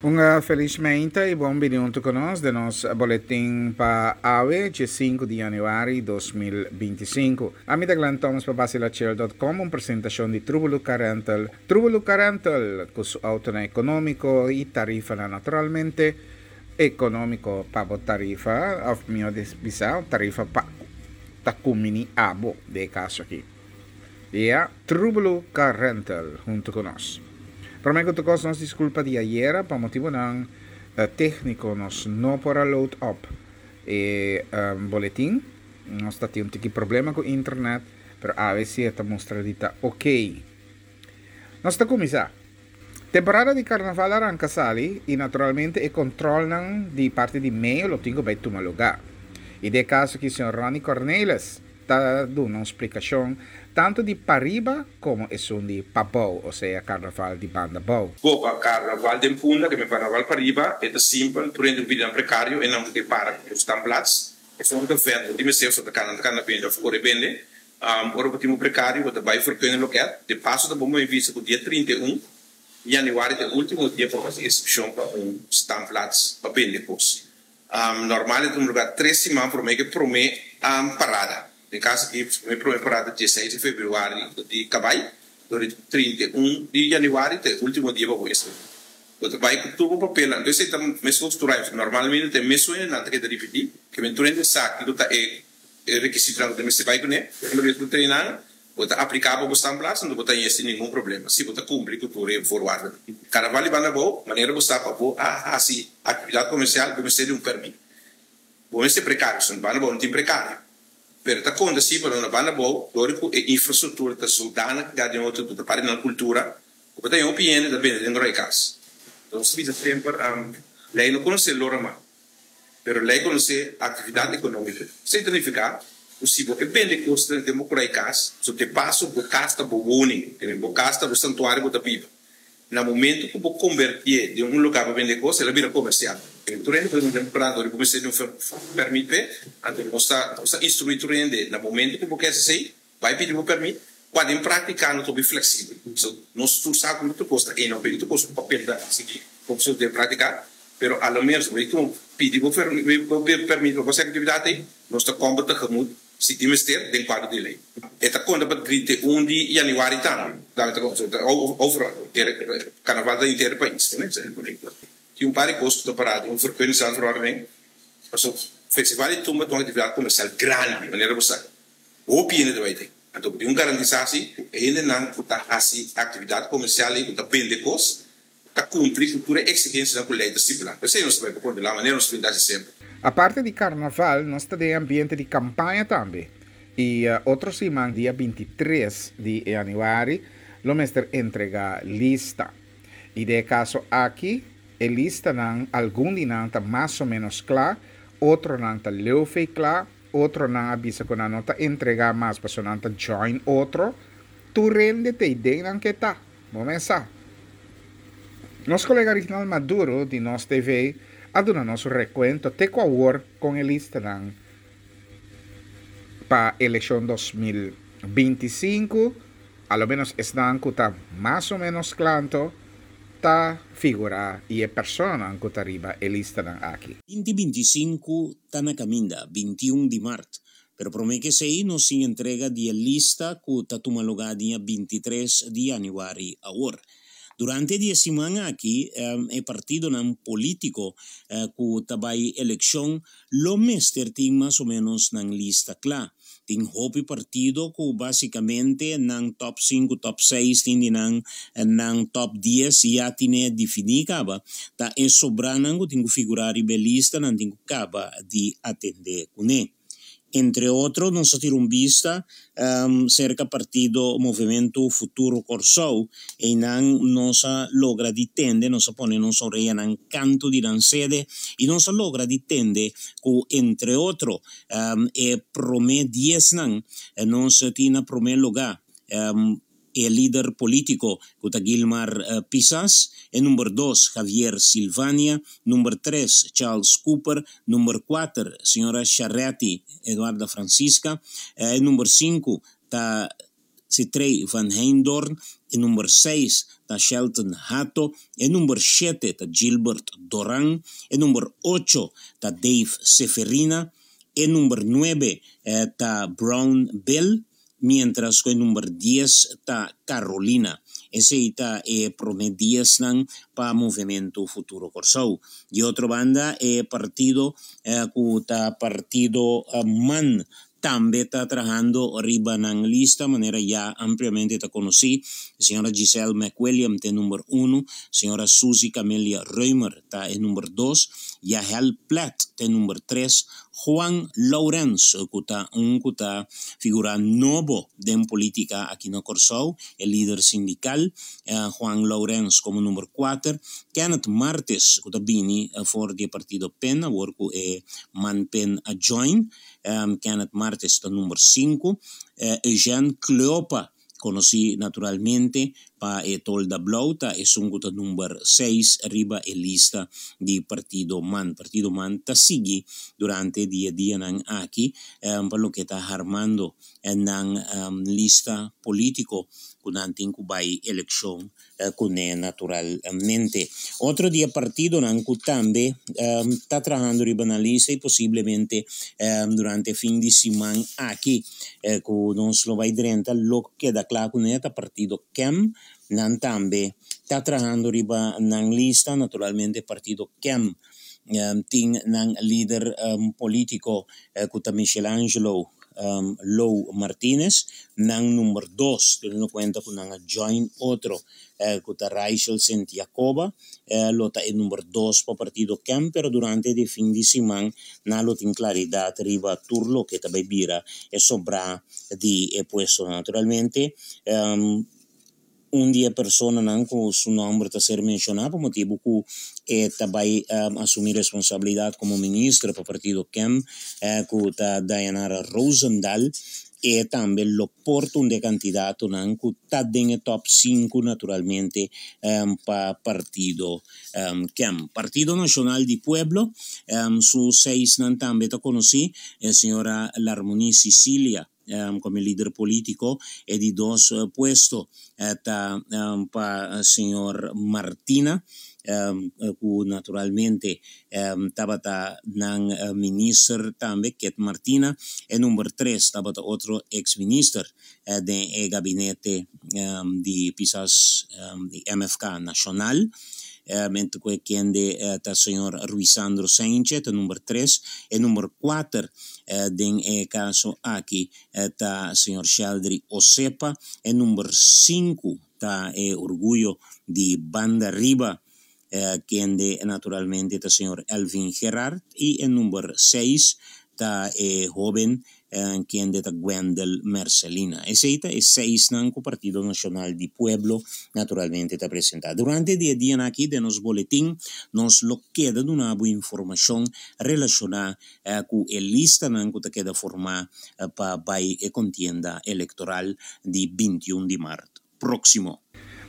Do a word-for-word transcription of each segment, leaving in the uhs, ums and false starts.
Un felis mainta i bon bini huntu ku nos den nos boletin pa awe, sinku di yanüari di dos mil binti sinku. Ami ta Glenn Thomas pa Basilachel punto com, un presentashon di Trubelu Car Rental. Trubelu Car Rental, ku su autonan ekonómiko i tarifanan naturalmente ekonómiko pa bo tarifa, òf mihó bisa, tarifa pa ta kumini abo den e kaso aki. Ya, Trubelu Car Rental huntu ku nos. Promé ku tur kos, nos diskulpa di ayera, pa motibunan tékniko nos no por a load up e boletin. Nos ta tin un tiki problema ku internet, pero awe si e ta mustra di ta ok. Nos ta kuminsá. Temporada di karnaval a ranka sali i naturalmente e kontrolnan di parti di meo lo tin ku bai tuma lugá. I den e kaso aki señor Ronnie Cornelis ta duna un splikashon tantu di pariba komo esun di pabou, osea karnaval di banda bou. Bo pa karnaval den Punda, ke men karnaval pariba, e ta simpel, tur hende ku bida nan prekario, e nan ku ke para ku standplaats, esun ta vende, di mester ta kana, ta kana bende òf kore bende. Ora bo tin un prekario, bo ta bai vergunning loket. De paso ta bon bo bisa ku dia trinta i un yanüari ta e último dia pa hasi inskripshon pa un standplaats pa bende kos. Normal e ta un lugá tres siman promé ku e promé parada. Den kaso aki, e promé parada diesseis di febrüari di Kabai, dor di trinta i un di yanüari ta e último dia pa bo inskribí. Bo ta bai ku tur bo papelnan. Entonces esei ta meskos tur aña. Normalmente ta e mesun hendenan ta keda ripití, ke men tur hende sa kiko ta e rekisitonan ku ta mester bai kuné. Ora bo ta nan, bo ta apliká pa bo standplaats, anto bo ta haña sin ningun problema, si bo ta kumpli ku tur e voorwaarden. Karnaval di banda abou, manera bo sa pa bo a hasi aktividat komersial, bo mester di un pèrmit. Bo mester prekario, so na banda abou no tin prekario. Pero ta konta si, pero na banda abou, dor ku e infrastruktura ta zodanig ga den otro, ta parti nan kultura, ku bo ta haña hopi hende ta bende den roi kas. Nos bisa semper, lei no konosé lora mas, pero lei konosé aktividat ekonómiko. Esei ta nifiká ku si bo ke bende kos den bo roi kas, so te paso bo kas ta bo woning, bo kas ta bo santuario bo ta biba. Na momento ku bo konvertié den un lugá pa bende kos, el a bira komersial. Tur hende por bende prado, bo mester di un pèrmit p'e, anto nos ta nos ta instruí tur hende, na momento ku bo ke hasi esei, bai pidi bo pèrmit, kua den práktika no ta hopi fleksibel. So nos tur sa ku tur kos ta ena, pero tur kos ku papel ta sigui komo se den práktika, pero a lo menos bo ku pidi bo pèrmit pa bo hasi aktividat ei, nos ta kòmber tegemoet si tin mester den kuadro di lei. E ta konta pa trinta i un di yanüari tambe. Tambe ta konta overal, karnaval ta henter e pais. Tin un par di kos ku ta pará den un vergunningsaanverordening. Pasobra festival di tumba ta un aktividat komersial grandi, manera bo sa. Hopi hende ta bai den. Anto bo tin un garantisasi ku e hendenan ku ta hasi aktividat komersial ei, ku ta bende kos, ta kumpli ku tur e eksigensianan ku lei ta stipulá. P'esei nos ta bai pa kontrolá manera nos ta bin ta hasi semper. Aparte di karnaval, nos ta den ambiente di kampaña tambe. I otro siman, dia binti tres di yanüari, lo mester entregá lista. I den e kaso aki, e listanan, algun di nan ta mas o ménos kla, otronan ta leu fei kla, otronan a bisa ku nan no ta entregá mas pasobra nan ta join otro. Tur hende ta idei nan ke ta. Bo mes sa. Nos kolega Rignald Maduro di Nos T V a duna nos un rekuento te ku awor kon e listanan pa elekshon dos mil binti sinku, a lo menos esnan ku ta mas o menos klanto, ta figurá i e personanan ku ta riba e listanan aki. Binti binti sinku ta na kaminda, binti un di mart. Pero promé ku esei nos sin entrega di e lista ku ta tuma lugá dia binti tres di yanüari awor. Durante di e siman aki, e partidonan polítiko ku ta bai elekshon lo mester tin mas o ménos nan lista kla. Tin hopi partido ku básikamente nan top sinku, top seis, tin di nan, nan top dies ya tine definí kaba. Ta e sobranan ku tin ku figurá riba e lista, nan tin ku kaba di atendé kuné. Entre otro, nos a tira un bista, um, serka partido Movimento Futuro Kòrsou, i nan nos a logra di tende, nos a pone nos oreanan kantu di nan sede, i nos a logra di tende ku entre otro, um, e promé diesnan, nos tin na promé lugá, um, e líder polítiko ku ta Gilmar Pisas, e number dos Javier Silvania, number tres Charles Cooper, number kuater señora Charetti Eduarda Francisca, e number sinku ta Citrey van Heydoorn, e number seis ta Shelton Hato, e number shete ta Gilbert Doran, e number ocho ta Dave Seferina, e number nuebe eh, ta Brown Bill, mientras ku e number dies ta Carolina. Esei ta e promé diesnan pa Movementu Futuro Kòrsou. Di otro banda, e partido eh, ku ta partido eh, MAN tambe ta trahando riba nan lista, manera ya ampliamente ta konosí. Señora Giselle McWilliam ta number un, señora Suzy Camelia Römer ta number dos, Yahel Platt ta number tres, Juan Lourens, ku ta un ku ta figura nobo den polítika aki na Kòrsou, e lider sindikal, eh, Juan Lourens komo number kuater, Kenneth Martes, ku ta bini eh, for di partido P E N, awor ku e MAN P E N a join, um, Kenneth Martes ta number sinku, eh, Eugene Cleopa, konosí naturalmente pa e Tolda Blou, ta esun ku ta number seis riba e lista di partido MAN. Partido MAN ta sigui durante e dianan aki um, pa loke ta armando nan um, lista polítiko ku nan tin ku bai elekshon uh, kuné naturalmente. Otro di e partidonan ku tambe um, ta trahando riba nan lista i posiblemente um, durante fin di siman aki eh, ku nos lo bai drenta lo keda kla kuné ta partido K E M. Nan tambe ta trahando riba nan lista. Naturalmente, partido K E M um, tin nan lider um, polítiko eh, ku ta Michelangelo um, Lou Martinez, nan number dos, teniendo kuenta ku nan a join otro, eh, ku ta Rachel Santiagoba, eh, lo ta e number dos pa partido K E M, pero durante e fin di siman nan lo tin klaridat riba tur loke tambe bira e sobra di e puesto. Naturalmente, um, un di e personanan ku su nòmber ta ser menshoná pa motibu ku e tambe um, asumí responsabilidat komo minister pa partido K E M, eh, ku ta Dayanara Rosendal, e tambe lo por ta un di e kandidatonan ku ta den top sinku, naturalmente, um, pa partido um, K E M. Partido Nashonal di Pueblo, um, su seisnan tambe ta konosí, e señora Larmonie Cecilia um, komo lider polítiko, e di dos uh, puesto ta um, pa señor Martina, um, ku naturalmente um, tabata nan uh, minister tambe, Ket Martina. E number tres tabata otro ex-minister uh, den e gabinete um, di Pisas, um, di M F K Nashonal, um, ku kende uh, ta señor Ruisandro Sanchez, number tres. E number kuater uh, den e kaso aki uh, ta señor Sheldry Osepa. E number sinku ta e orguyo di Banda Riba, eh, kende naturalmente ta señor Elvin Gerard, i e number seis ta e hóben eh, kende ta Gwendel Mercelina. Esei ta e seisnan ku Partido Nashonal di Pueblo naturalmente ta presentá. Durante e dia aki di nos boletin, nos lo keda duna informashon relashoná eh, ku e listanan ku ta keda formá eh, pa bai e kontienda elektoral di bintiun di mart próksimo.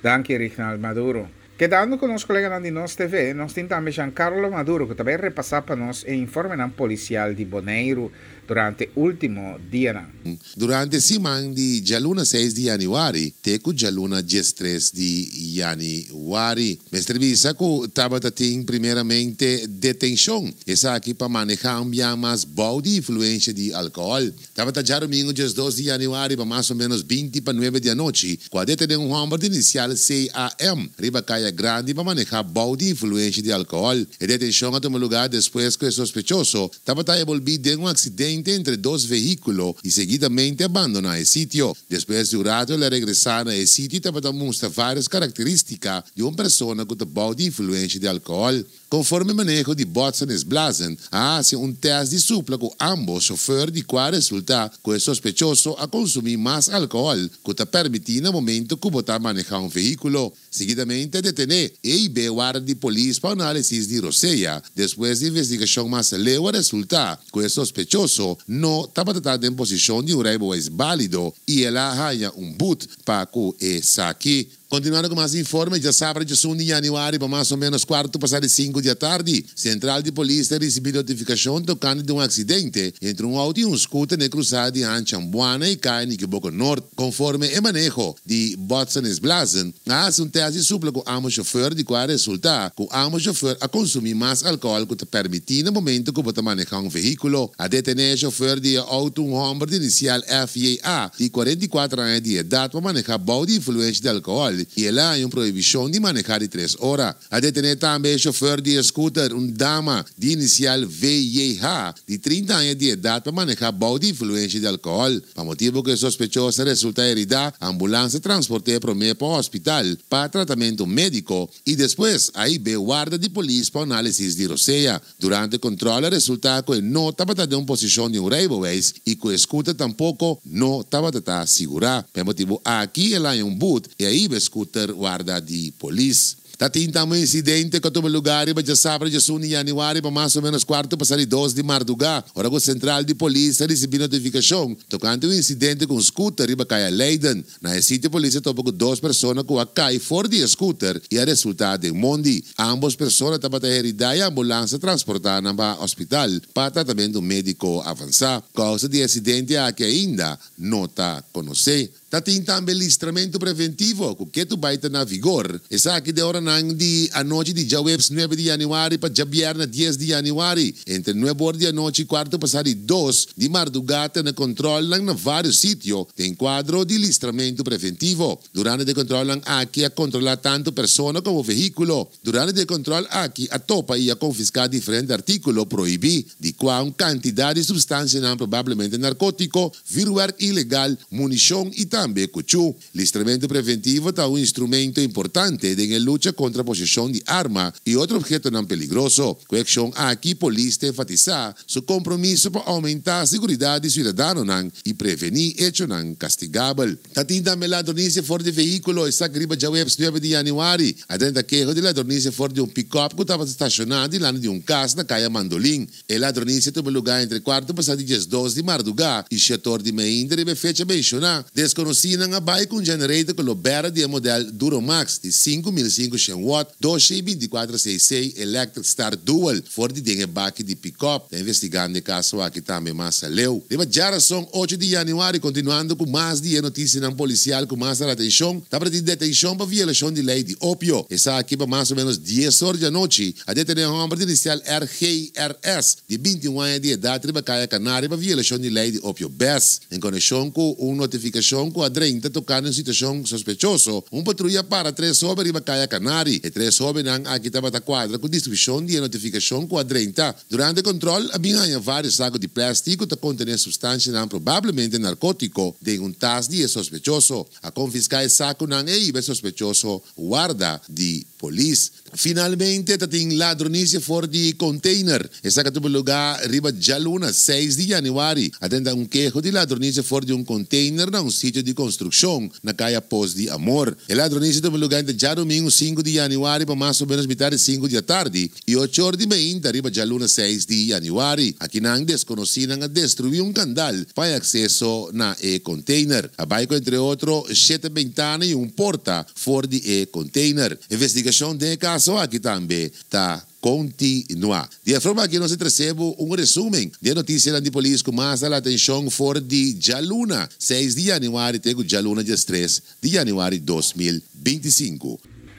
Danki, Reginald Maduro. Kedando ku nos koleganan di Nos T V, nos tin tambe Giancarlo Maduro, ku tambe ta repasá pa nos e informe polisial di Boneiru durante último dia. Durante siman di djaluna seis di yanüari, te ku djaluna diestres di yanüari. Mester bisa ku tabatin primeramente detenshon. Esaki pa manehá un biaha mas bou di influensia di alkohòl. Tabata djadumingu diesdos di yanüari, pa mas o ménos binti pa nuebe di anochi, ku a detené un hòmber di inisial C A M, riba Kaya Grandi, pa manehá bou di influensia di alkohòl. E detenshon a tuma lugá despues ku e sospechoso tabata enbolbí den un aksidente entre dos vehíkulo i seguidamente a bandoná e sitio. Despues di un ratu el a regresá na e sitio i tabata mustra vários karakterístika di un persona ku ta bou di influensia di alkohòl. Konforme maneho di botsen is blazen, a hasi un tèst di supla ku ambos shofùr, di kua a resultá ku e sospechoso a konsumí mas alkohòl ku ta permití na momento ku bo ta manehá un vehíkulo. Seguidamente a detené i hib'é warda di polis pa análisis di rosea. Despues di investigashon mas aleu, a resultá ku e sospechoso no tabata den posishon di un reibeweis válido i el a haña un but pa ku esaki. Kontinuando ku mas informe, djasabra un di yanüari, pa mas o ménos kuartu pasá di sinku di atardi, Sentral di Polis a risibí notifikashon tokante di un aksidente entre un outo i un scooter na krusada di Ambuana i Kaya Nikiboko Nort. Konforme e maneho di botsen is blazen, a hasi un tèst di supla ku ambos shofùr, di kual a resultá ku ambos shofùr a konsumí mas alkohòl ku ta permití na momento ku bo ta manehá un vehíkulo. A detené e shofùr di outo, un hòmber di inisial F J A, di kuarenta i kuater aña di edat, pa manehá bou di influensia di alkohòl i el a haña un prohibishon di manehá di tres ora. A detené tambe e shofùr di scooter, un dama di inisial V J H, di trinta aña di edat, pa manehá bou di influensia di alkohòl. Pa motibu ku e sospechoso a resultá heridá, ambulans a transport'é promé pa hospital pa tratamentu médiko i despues a hib'é warda di polis pa análisis di rosea. Durante kontròl a resultá ku e no tabata den posishon di un rijbewijs i ku e scooter tampoko no tabata sigurá. Pa e motibu aki el a haña un but i a hiba e scooter warda di polis. Tatin tambe un insidente ku a tuma lugá riba djasabra un di yanüari, pa mas o ménos kuartu pasá di dos di mardugá, ora ku sentral di polis a risibí notifikashon tokante un insidente ku un scooter riba Kaya Leiden. Na e sitio polis a topa ku dos persona ku a kai for di scooter i a resultá den mondi. Ambos persona tabata heridá i ambulans a transportá nan pa hospital pa tratamentu médiko avansá. Kousa di e aksidente aki ainda no ta konosí. Tatin tambe listramentu preventivo, ku ketu bai ta na vigor. Esaki di oranan di anochi di djaweps nuebe di yanüari pa djabièrnè dies di yanüari. Entre nuebe or di anochi i kuartu pasá di dos di mardugá ta tene kontròl na vários sitio den kuadro di listramentu preventivo. Durante e kontròl aki a kontrolá tantu persona komo vehíkulo. Durante e kontròl aki a topa i a konfiská diferente artíkulo prohibí, di kual un kantidat di supstansia probablemente narkótiko, vuurwerk ilegal, munishon i tambe kuchú. Listramentu preventivo ta un instrumento importante den lucha kontra poseshon di arma i otro ophetonan peligroso. Ku e akshon aki, polis ta enfatisá su kompromiso pa oumentá seguridat di siudadanonan i prevení echonan kastigabel. Tatin tambe ladronisia for di vehíkulo, esaki riba djaweps nuebe di yanüari. A drenta keho di ladronisia for di un pick-up ku tabata stashoná dilanti di un kas na Kaya Mandolin. E ladronisia a tuma lugá entre kuartu pasá di dos di mardugá i shete or di mainta riba e fecha menshoná. Deskonosínan a bai ku un generator ku bera di modelo Duromax di sinku mil sinkushentos watt, dos binti kuater C C Electric Start Dual, for di den baki di pick-up. Ta investigando e kaso aki tambe mas aleu. Riba djarason ocho di yanüari, kontinuando ku mas di notisianan polisial ku mas atenshon, tabatin detenshon pa violashon di lei di opio. Esaki pa mas o ménos dies or di anochi. A detené un hòmber di inisial R G R S di binti i un aña di edat riba Kaya Canario pa violashon di lei di opio B E S. En konekshon ku un notifikashon ku a drenta tokante un situashon sospechoso, un patruya a para tres hóben riba Kaya Canario. E tres hóbennan aki tabata kuadra ku deskripshon di notifikashon ku a drenta. Durante kontròl, a bin haña vários saku di plèstik ku ta kontené supstansia probablemente narkótiko den un tas di sospechoso. A konfiská e sakunan i a hiba e sospechoso warda di polis. Finalmente, tin ladronisia for di container. Esaki a tuma lugá riba djaluna, seis di yanüari. A drenta un keho di ladronisia for di un container na un sitio di konstrukshon na Kaya Pos di Amor. E ladronisia a tuma lugá entre djadumingu sinku di yanüari pa mas o ménos mitar di sinku di atardi i ocho or di mainta riba djaluna seis di yanüari. Akinan deskonosínan a destruí un kandal pa akseso na e container. A bai ku, entre otro, shete bentana i un porta for di e container. Investigashon di e kaso aki tambe ta kontinuá. Di e forma aki nos a trese un resúmen di notisia di polis ku mas atenshon for di djaluna seis di yanüari te djaluna dia tres di yanüari dos mil binti sinku.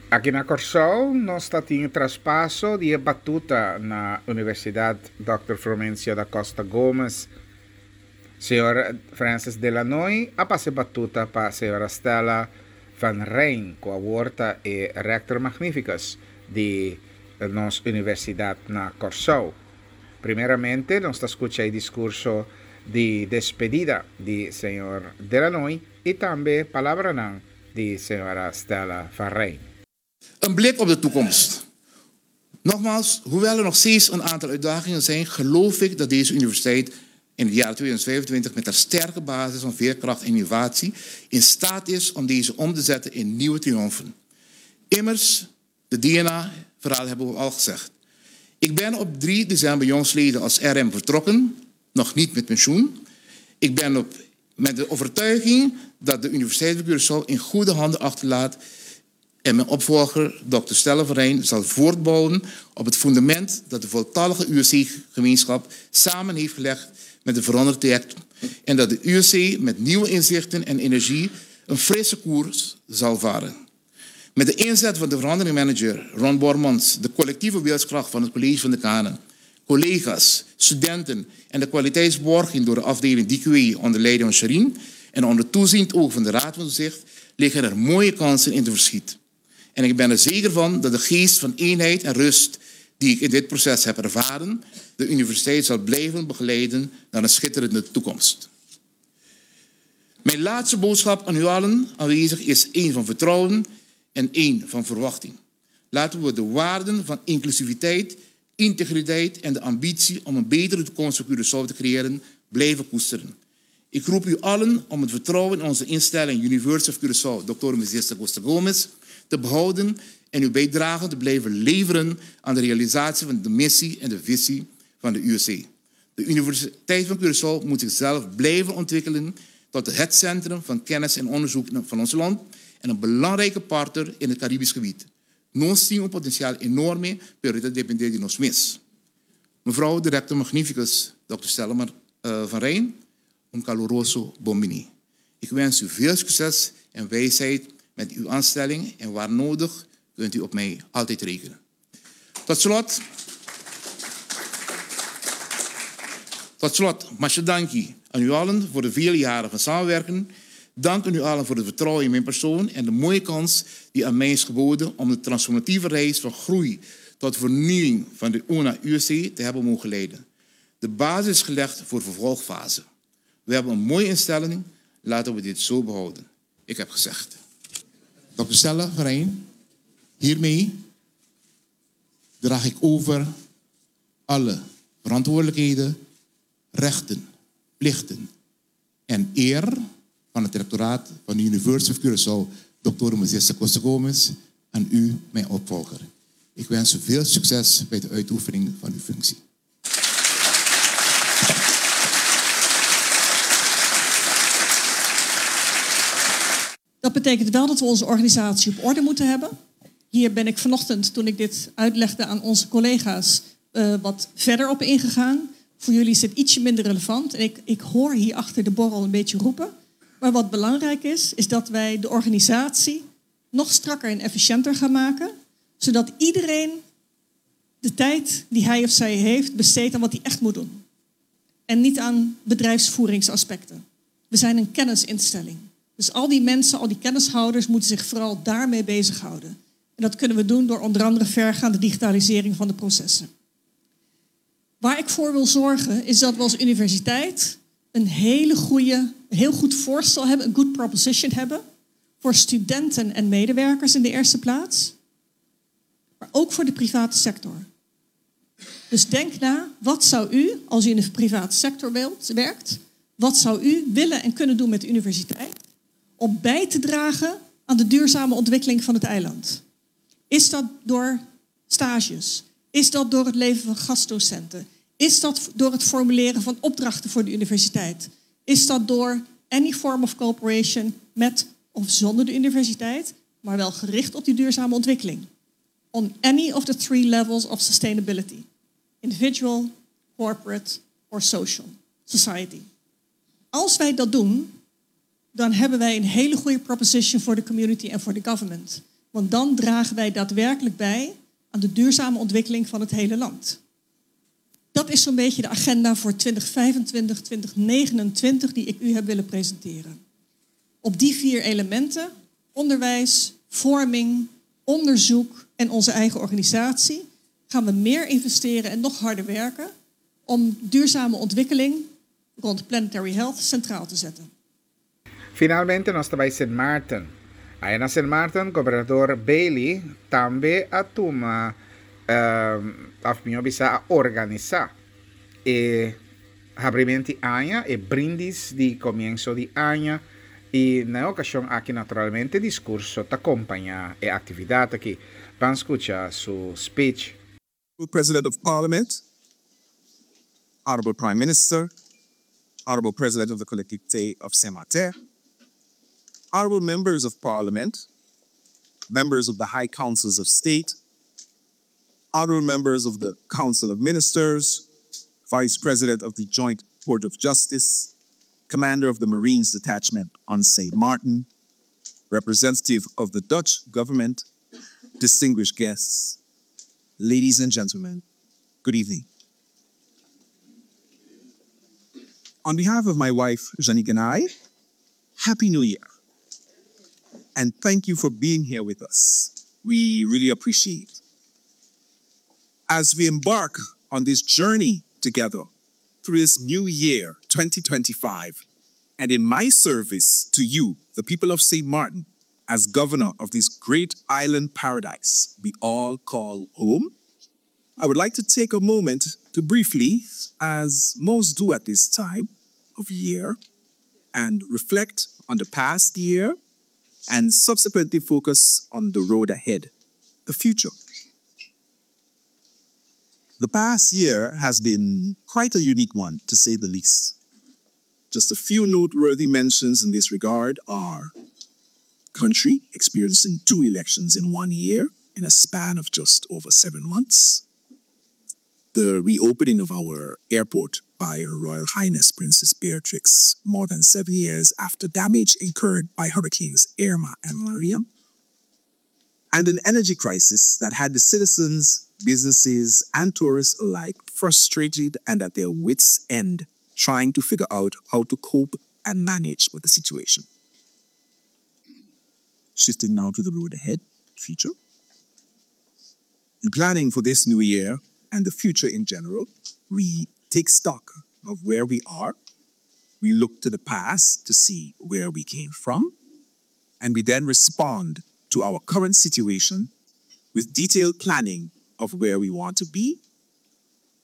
Aki na Kòrsou, nos tin traspaso di batuta na Universidat Doctor Frumencio da Costa Gomez. Señor Francis Delanoy a pasa batuta pa señora Stella van Rijn, ku awor ta e rector magnificus di nos universidat na Kòrsou. Primeramente, nos ta skucha e diskurso di despedida di señor Delanoy i tambe palabra di señora Stella van Rijn. Een blik op de toekomst. Nogmaals, hoewel er nog steeds een aantal uitdagingen zijn, geloof ik dat deze universiteit in het jaar tweeduizend vijfentwintig met haar sterke basis van veerkracht en innovatie in staat is om deze om te zetten in nieuwe triomfen. Immers, de D N A-verhaal hebben we al gezegd. Ik ben op drie december jongstleden als R M vertrokken, nog niet met pensioen. Ik ben op, met de overtuiging dat de Universiteit van Curaçao in goede handen achterlaat. En mijn opvolger, dokter Stella van Rijn, zal voortbouwen op het fundament dat de voltallige U S C-gemeenschap samen heeft gelegd met de veranderde traject en dat de U S C met nieuwe inzichten en energie een frisse koers zal varen. Met de inzet van de veranderingmanager Ron Bormans, de collectieve wilskracht van het college van decanen, collega's, studenten en de kwaliteitsborging door de afdeling D Q E onder leiding van Sherine en onder toeziend oog van de Raad van Toezicht liggen er mooie kansen in te verschiet. En ik ben er zeker van dat de geest van eenheid en rust die ik in dit proces heb ervaren, de universiteit zal blijven begeleiden naar een schitterende toekomst. Mijn laatste boodschap aan u allen aanwezig is één van vertrouwen en één van verwachting. Laten we de waarden van inclusiviteit, integriteit en de ambitie om een betere toekomst voor Curaçao te creëren blijven koesteren. Ik roep u allen om het vertrouwen in onze instelling University of Curaçao, Doctor Moises da Costa Gomez, te behouden en uw bijdrage te blijven leveren aan de realisatie van de missie en de visie van de U S C. De Universiteit van Curaçao moet zichzelf blijven ontwikkelen tot het centrum van kennis en onderzoek van ons land en een belangrijke partner in het Caribisch gebied. Nos tin un potensial enorme, pero ta dependé di nos mes. Mevrouw de rector magnificus, dokter Stella uh, van Rijn, un kaluroso bonbiní. Ik wens u veel succes en wijsheid met uw aanstelling en waar nodig kunt u op mij altijd rekenen. Tot slot, tot slot, masha danki aan u allen voor de vele jaren van samenwerken. Dank aan u allen voor het vertrouwen in mijn persoon en de mooie kans die aan mij is geboden om de transformatieve reis van groei tot vernieuwing van de U N A U S C te hebben mogen leiden. De basis is gelegd voor vervolgfase. We hebben een mooie instelling, laten we dit zo behouden. Ik heb gezegd. Dokter Stella van Rijn, hiermee draag ik over alle verantwoordelijkheden, rechten, plichten en eer van het rectoraat van de University of Curaçao, dokter Moises da Costa Gomez, aan u, mijn opvolger. Ik wens u veel succes bij de uitoefening van uw functie. Dat betekent wel dat we onze organisatie op orde moeten hebben. Hier ben ik vanochtend, toen ik dit uitlegde aan onze collega's, uh, wat verder op ingegaan. Voor jullie is het ietsje minder relevant. En ik, ik hoor hier achter de borrel een beetje roepen. Maar wat belangrijk is, is dat wij de organisatie nog strakker en efficiënter gaan maken. Zodat iedereen de tijd die hij of zij heeft besteedt aan wat hij echt moet doen. En niet aan bedrijfsvoeringsaspecten. We zijn een kennisinstelling. Dus al die mensen, al die kennishouders moeten zich vooral daarmee bezighouden. En dat kunnen we doen door onder andere vergaande digitalisering van de processen. Waar ik voor wil zorgen is dat we als universiteit een hele goede, een heel goed voorstel hebben, een good proposition hebben voor studenten en medewerkers in de eerste plaats, maar ook voor de private sector. Dus denk na, wat zou u, als u in de private sector wilt, werkt, wat zou u willen en kunnen doen met de universiteit om bij te dragen aan de duurzame ontwikkeling van het eiland? Is dat door stages? Is dat door het leveren van gastdocenten? Is dat door het formuleren van opdrachten voor de universiteit? Is dat door any form of cooperation met of zonder de universiteit, maar wel gericht op die duurzame ontwikkeling? On any of the three levels of sustainability. Individual, corporate or social, society. Als wij dat doen, dan hebben wij een hele goede proposition voor de community en voor de government. Want dan dragen wij daadwerkelijk bij aan de duurzame ontwikkeling van het hele land. Dat is zo'n beetje de agenda voor tweeduizend vijfentwintig, tweeduizend negenentwintig die ik u heb willen presenteren. Op die vier elementen, onderwijs, vorming, onderzoek en onze eigen organisatie, gaan we meer investeren en nog harder werken om duurzame ontwikkeling rond planetary health centraal te zetten. Finalmente nos ta bai Sint Maarten. Ei na Sint Maarten, gobernador Bailey tambe a tuma uh, òf mihó bisá a organisá e habrimentu di aña e brindis di komienso di aña i na okashon aki naturalmente diskurso ta kompañá e aktividat aki. Ban skucha su speech. President of Parliament, Honorable Prime Minister, Honorable President of the Collectivité of Saint-Martin, Honorable Members of Parliament, Members of the High Councils of State, honorable members of the Council of Ministers, Vice President of the Joint Court of Justice, Commander of the Marines Detachment on Saint Martin, representative of the Dutch government, distinguished guests, ladies and gentlemen, good evening. On behalf of my wife, Janique, and I, Happy New Year. And thank you for being here with us. We really appreciate. As we embark on this journey together through this new year, twenty twenty-five, and in my service to you, the people of Saint Martin, as governor of this great island paradise we all call home, I would like to take a moment to briefly, as most do at this time of year, and reflect on the past year and subsequently focus on the road ahead, the future. The past year has been quite a unique one, to say the least. Just a few noteworthy mentions in this regard are country experiencing two elections in one year in a span of just over seven months, the reopening of our airport by Her Royal Highness Princess Beatrix more than seven years after damage incurred by Hurricanes Irma and Maria, and an energy crisis that had the citizens, businesses, and tourists alike frustrated and at their wits' end, trying to figure out how to cope and manage with the situation. Shifting now to the road ahead, future. In planning for this new year and the future in general, we take stock of where we are. We look to the past to see where we came from, and we then respond to our current situation with detailed planning of where we want to be,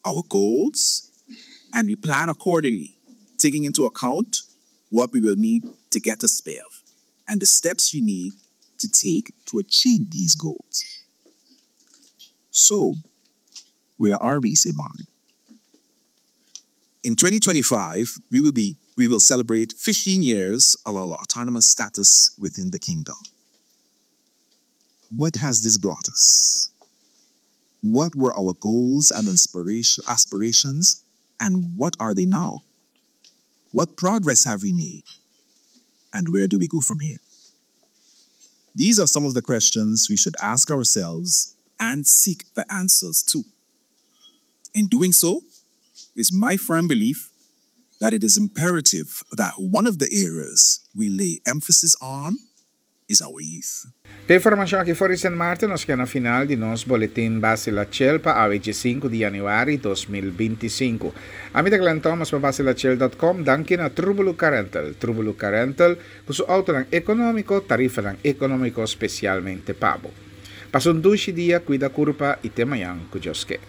our goals, and we plan accordingly, taking into account what we will need to get us there and the steps you need to take to achieve these goals. So, where are we, Saint Martin? In twenty twenty-five, we will be we will celebrate fifteen years of our autonomous status within the kingdom. What has this brought us? What were our goals and inspiration, aspirations, and what are they now? What progress have we made? And where do we go from here? These are some of the questions we should ask ourselves and seek the answers to. In doing so, it's my firm belief that it is imperative that one of the areas we lay emphasis on is our youth. Ku e informashon aki for di Saint Martin, nos ta na final di nos boletin Basila Chel pa awe sinku di yanüari dos mil binti sinku. Ami ta Glenn Thomas pa basila chel punto com, danki na Trubulu Car Rental. Trubulu Car Rental, ku su outonan ekonómiko, tarifanan ekonómiko spesialmente pa bo. Pasa un dushi dia, kuida kurpa i te mañan ku Dios ke.